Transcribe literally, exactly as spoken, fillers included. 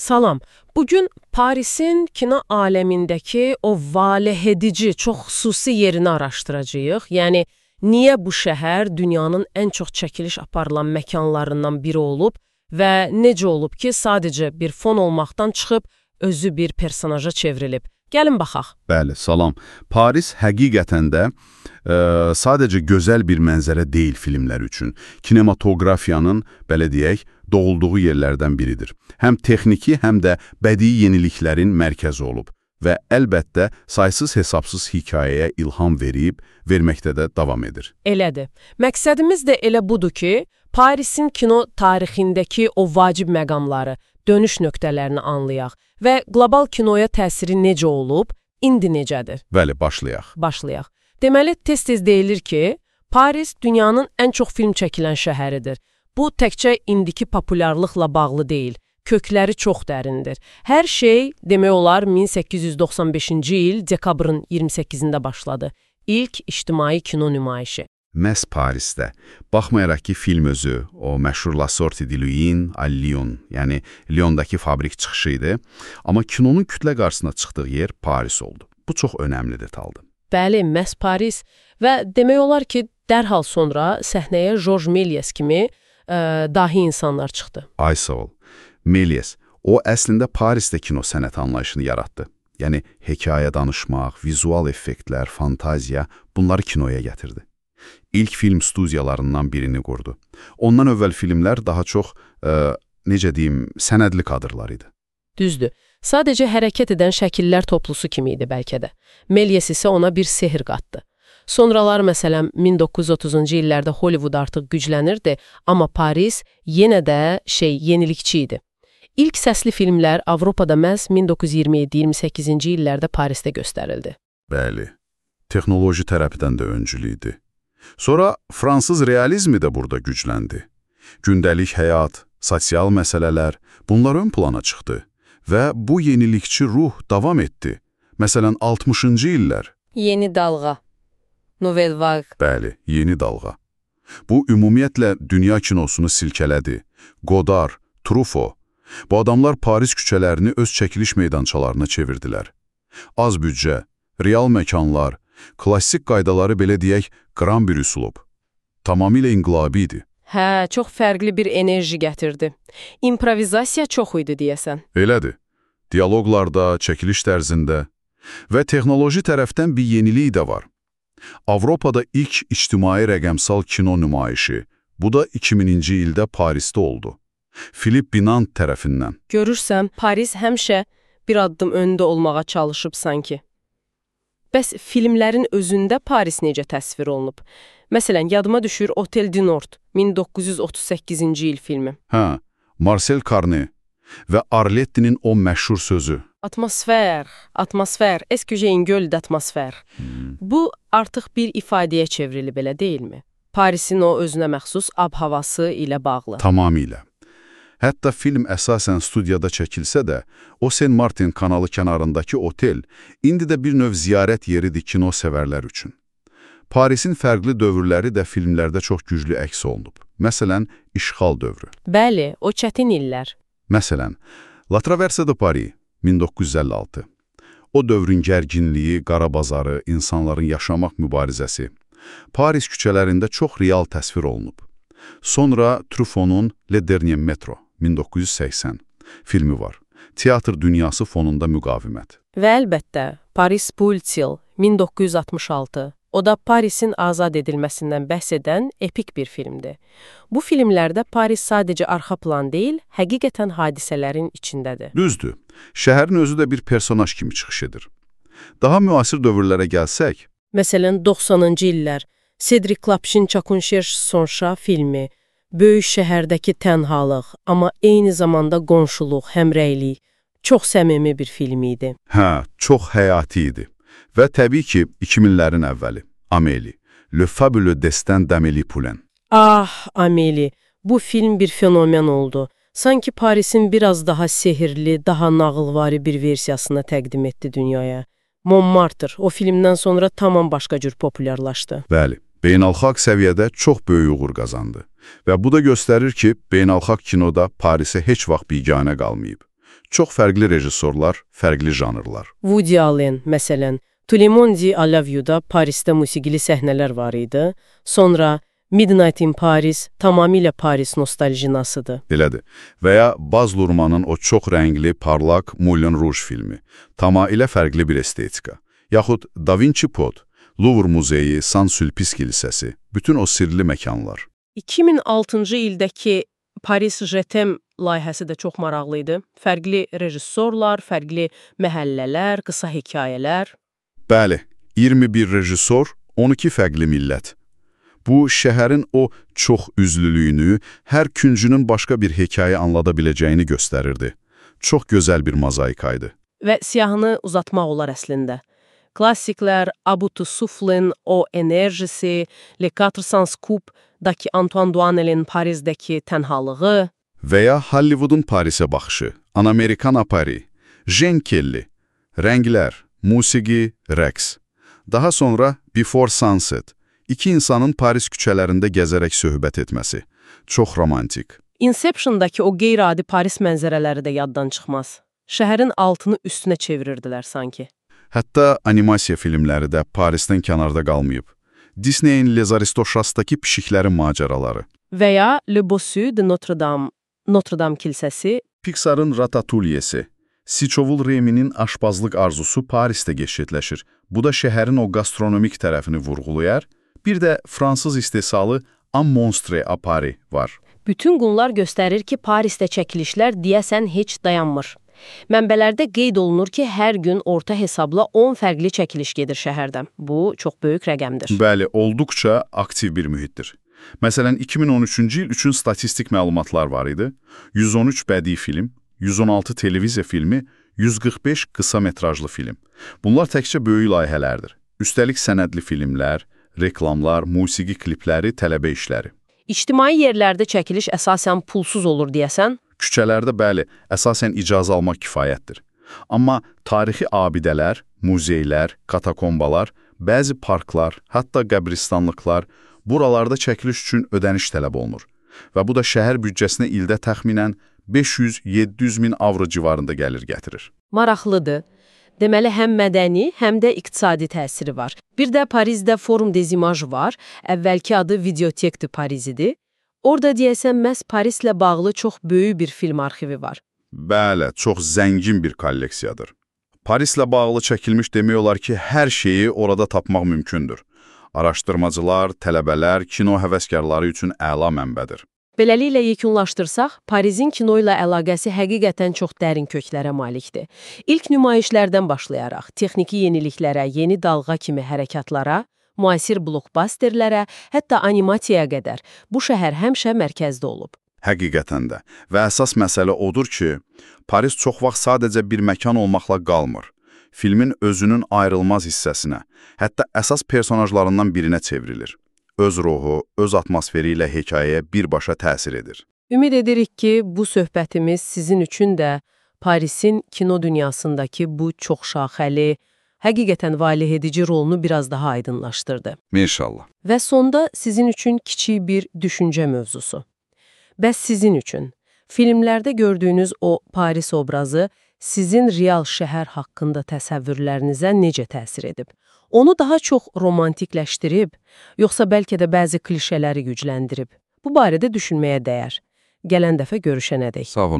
Salam. Bugün Parisin kino aləmindəki o valehedici, çox xüsusi yerini araşdıracağıq. Yəni, niyə bu şəhər dünyanın ən çox çəkiliş aparılan məkanlarından biri olub və necə olub ki, sadəcə bir fon olmaqdan çıxıb, özü bir personaja çevrilib. Gəlin baxaq. Bəli, salam. Paris həqiqətən də e, sadəcə gözəl bir mənzərə deyil filmlər üçün. Kinematografiyanın, belə deyək, doğulduğu yerlərdən biridir. Həm texniki, həm də bədii yeniliklərin mərkəzi olub və əlbəttə saysız-hesabsız hekayəyə ilham verib, verməkdə də davam edir. Elədir. Məqsədimiz də elə budur ki, Parisin kino tarixindəki o vacib məqamları, dönüş nöqtələrini anlayaq və qlobal kinoya təsiri necə olub, indi necədir? Bəli, başlayaq. Başlayaq. Deməli, tez-tez deyilir ki, Paris dünyanın ən çox film çəkilən şəhəridir. Bu, təkcə indiki populyarlıqla bağlı deyil, kökləri çox dərindir. Hər şey, demək olar, min səkkiz yüz doxsan beşinci il dekabrın iyirmi səkkizində başladı. İlk ictimai kino nümayişi. Məhz Parisdə, baxmayaraq ki, film özü, o məşhur La Sortie de Lyon, à Lyon, yəni Lyondakı fabrik çıxışı idi, amma kinonun kütlə qarşısına çıxdığı yer Paris oldu. Bu çox önəmli detaldır. Bəli, məhz Paris və demək olar ki, dərhal sonra səhnəyə Georges Méliès kimi ə, dahi insanlar çıxdı. Ay sağ ol. Méliès, o əslində Parisdə kino sənət anlayışını yaratdı. Yəni, hekayə danışmaq, vizual effektlər, fantaziya, bunları kinoya gətirdi. İlk film studiyalarından birini qurdu. Ondan əvvəl filmlər daha çox, ə, necə deyim, sənədli kadrlar idi. Düzdür. Sadəcə hərəkət edən şəkillər toplusu kimi idi bəlkə də. Méliès isə ona bir sehr qatdı. Sonralar, məsələn, min doqquz yüz otuzuncu illərdə Hollywood artıq güclənirdi, amma Paris yenə də şey, yenilikçi idi. İlk səsli filmlər Avropada məhz min doqquz yüz iyirmi yeddi iyirmi səkkizinci illərdə Parisdə göstərildi. Bəli, texnoloji tərəfdən də öncülü idi. Sonra fransız realizmi də burada gücləndi. Gündəlik həyat, sosial məsələlər, bunlar ön plana çıxdı və bu yenilikçi ruh davam etdi. Məsələn, altmışıncı illər. Yeni dalğa. Nouvelle vague. Bəli, yeni dalğa. Bu, ümumiyyətlə, dünya kinosunu silkələdi. Godard, Truffaut. Bu adamlar Paris küçələrini öz çəkiliş meydançalarına çevirdilər. Az büdcə, real məkanlar, klassik qaydaları belə deyək, qram bir üslub. Tamamilə inqilabi idi. Hə, çox fərqli bir enerji gətirdi. İmprovizasiya çox idi deyəsən. Elədir. Dialoqlarda, çəkiliş tərzində və texnoloji tərəfdən bir yenilik də var. Avropada ilk ictimai rəqəmsal kino nümayişi, bu da iki mininci ildə Parisdə oldu. Philippe Binant tərəfindən. Görürsəm, Paris həmişə bir addım öndə olmağa çalışıb sanki. Bəs filmlərin özündə Paris necə təsvir olunub? Məsələn, yadıma düşür Hotel du Nord, min doqquz yüz otuz səkkizinci il filmi. Hə, Marcel Carné və Arletti'nin o məşhur sözü. Atmosfer, atmosfer, esküjeyin göl d'atmosfer. Hmm. Bu artıq bir ifadəyə çevrilib, elə deyilmi? Parisin o özünə məxsus ab-havası ilə bağlı. Tamamilə. Hətta film əsasən studiyada çəkilsə də, o Saint Martin kanalı kənarındakı otel indi də bir növ ziyarət yeridir kino sevərlər üçün. Parisin fərqli dövrləri də filmlərdə çox güclü əks olunub. Məsələn, işğal dövrü. Bəli, o çətin illər. Məsələn, La Traverse de Paris, min doqquz yüz əlli altı. O dövrün gərginliyi, qara bazarı, insanların yaşamaq mübarizəsi. Paris küçələrində çox real təsvir olunub. Sonra Truffaut'un Le Dernier Metro, min doqquz yüz səksən filmi var. Teatr dünyası fonunda müqavimət. Və əlbəttə, Paris bu il, min doqquz yüz altmış altı. O da Parisin azad edilməsindən bəhs edən epik bir filmdir. Bu filmlərdə Paris sadəcə arxa plan deyil, həqiqətən hadisələrin içindədir. Düzdür. Şəhərin özü də bir personaj kimi çıxış edir. Daha müasir dövrlərə gəlsək... Məsələn, doxsanıncı illər, Cedric Lapşin Çakunşerş Sonşa filmi, böyük şəhərdəki tənhalıq, amma eyni zamanda qonşuluq, həmrəylik, çox səmimi bir film idi. Hə, çox həyati idi. Və təbii ki, iki minlərin əvvəli, Amélie, Le Fabuleux Destin d'Amélie Poulain. Ah, Amélie, bu film bir fenomen oldu. Sanki Parisin biraz daha sehirli, daha nağılvari bir versiyasını təqdim etdi dünyaya. Montmartre o filmdən sonra tamam başqa cür populyarlaşdı. Bəli, beynəlxalq səviyyədə çox böyük uğur qazandı. Və bu da göstərir ki, beynəlxalq kinoda Parisə heç vaxt biganə qalmayıb. Çox fərqli rejissorlar, fərqli janrlar. Woody Allen, məsələn, To le Monde I Love You-da Parisdə musiqili səhnələr var idi. Sonra Midnight in Paris tamamilə Paris nostalginasıdır. Belədir. Və ya Baz Luhrmannın o çox rəngli, parlaq Moulin Rouge filmi. Tamamilə fərqli bir estetika. Yaxud Da Vinci Pod, Louvre Muzeyi, Saint-Sulpice kilsəsi, bütün o sirli məkanlar. iki min altıncı ildəki Paris Je t'aime layihəsi də çox maraqlı idi. Fərqli rejissorlar, fərqli məhəllələr, qısa hekayələr. Bəli, iyirmi bir rejissor, on iki fərqli millət. Bu, şəhərin o çox üzlülüyünü, hər küncünün başqa bir hekayə anlada biləcəyini göstərirdi. Çox gözəl bir mozaikaydı. Və siyahını uzatmaq olar əslində. Klassiklər, Abutu Suflin, O Enerjisi, Le quatre cents Coups-daki Antoine Duanel'in Parizdəki tənhalığı və ya Hollywoodun Parisə baxışı, An-Amerikan Paris, Jean Kelly, rənglər, musiqi, rəqs. Daha sonra Before Sunset, iki insanın Paris küçələrində gəzərək söhbət etməsi. Çox romantik. Inception-daki o qeyri-adi Paris mənzərələri də yaddan çıxmaz. Şəhərin altını üstünə çevirirdilər sanki. Hətta animasiya filmləri də Parisdən kənarda qalmayıb. Disneyin Les Aristochats-daki pişiklərin macəraları. Və ya Le Bossu de Notre Dame, Notre Dame kilsəsi. Pixar'ın Ratatouille'si. Siçovul Reminin aşpazlıq arzusu Parisdə gerçəkləşir. Bu da şəhərin o gastronomik tərəfini vurğulayar. Bir də Fransız istehsalı Un Monstre à Paris var. Bütün bunlar göstərir ki, Parisdə çəkilişlər deyəsən heç dayanmır. Mənbələrdə qeyd olunur ki, hər gün orta hesabla on fərqli çəkiliş gedir şəhərdə. Bu, çox böyük rəqəmdir. Bəli, olduqca aktiv bir mühitdir. Məsələn, iki min on üçüncü il üçün statistik məlumatlar var idi. yüz on üç bədii film, yüz on altı televiziya filmi, yüz qırx beş qısa metrajlı film. Bunlar təkcə böyük layihələrdir. Üstəlik sənədli filmlər, reklamlar, musiqi klipləri, tələbə işləri. İctimai yerlərdə çəkiliş əsasən pulsuz olur deyəsən? Küçələrdə bəli, əsasən icazə almaq kifayətdir. Amma tarixi abidələr, muzeylər, katakombalar, bəzi parklar, hətta qəbristanlıqlar, buralarda çəkiliş üçün ödəniş tələb olunur. Və bu da şəhər büdcəsinə ildə təxminən beş yüz yeddi yüz min avro civarında gəlir gətirir. Maraqlıdır. Deməli, həm mədəni, həm də iqtisadi təsiri var. Bir də Parisdə Forum des Images var, əvvəlki adı Videothèque de Paris idi. Orada deyəsən məhz Parislə bağlı çox böyük bir film arxivi var. Bəli, çox zəngin bir kolleksiyadır. Parislə bağlı çəkilmiş demək olar ki, hər şeyi orada tapmaq mümkündür. Araşdırmacılar, tələbələr, kino həvəskarları üçün əla mənbədir. Beləliklə yekunlaşdırsaq, Parisin kino ilə əlaqəsi həqiqətən çox dərin köklərə malikdir. İlk nümayişlərdən başlayaraq, texniki yeniliklərə, yeni dalğa kimi hərəkatlara, müasir blokbasterlərə, hətta animasiyaya qədər bu şəhər həmişə mərkəzdə olub. Həqiqətən də. Və əsas məsələ odur ki, Paris çox vaxt sadəcə bir məkan olmaqla qalmır. Filmin özünün ayrılmaz hissəsinə, hətta əsas personajlarından birinə çevrilir. Öz ruhu, öz atmosferi ilə hekayəyə birbaşa təsir edir. Ümid edirik ki, bu söhbətimiz sizin üçün də Parisin kino dünyasındakı bu çox şaxəli, həqiqətən valeh edici rolunu biraz daha aydınlaşdırdı. İnşallah. Və sonda sizin üçün kiçik bir düşüncə mövzusu. Bəs sizin üçün filmlərdə gördüyünüz o Paris obrazı sizin real şəhər haqqında təsəvvürlərinizə necə təsir edib? Onu daha çox romantikləşdirib, yoxsa bəlkə də bəzi klişələri gücləndirib? Bu barədə düşünməyə dəyər. Gələn dəfə görüşənədək. Sağ olun.